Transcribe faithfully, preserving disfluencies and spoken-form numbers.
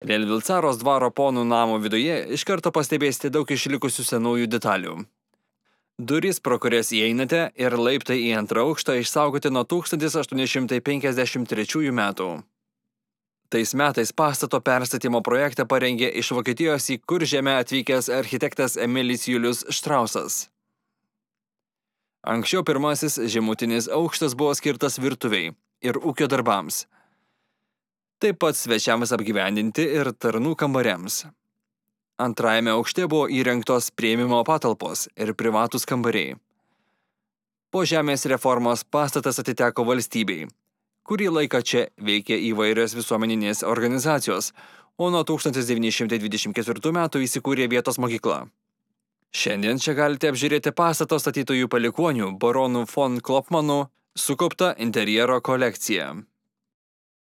Relvilcaros dvaro ponų namo viduje iš karto pastebėsite daug išlikusių senųjų detalių. Durys, pro kurias įeinate, ir laiptai į antrą aukštą išsaugoti nuo tūkstantis aštuoni šimtai penkiasdešimt trečiųjų metų. Tais metais pastato perstatymo projektą parengė iš Vokietijos į Kuržemę atvykęs architektas Emilis Julius Štrausas. Anksčiau pirmasis žemutinis aukštas buvo skirtas virtuviai ir ūkio darbams. Taip pat svečiams apgyvendinti ir tarnų kambariams. Antrajame aukšte buvo įrengtos priėmimo patalpos ir privatūs kambariai. Po žemės reformos pastatas atiteko valstybei. Kurį laiką čia veikė įvairios visuomeninės organizacijos, o nuo tūkstantis devyni šimtai dvidešimt ketvirtų metų įsikūrė vietos mokykla. Šiandien čia galite apžiūrėti pastato statytojų palikuonių baronų von Klopmanų sukauptą interjero kolekciją.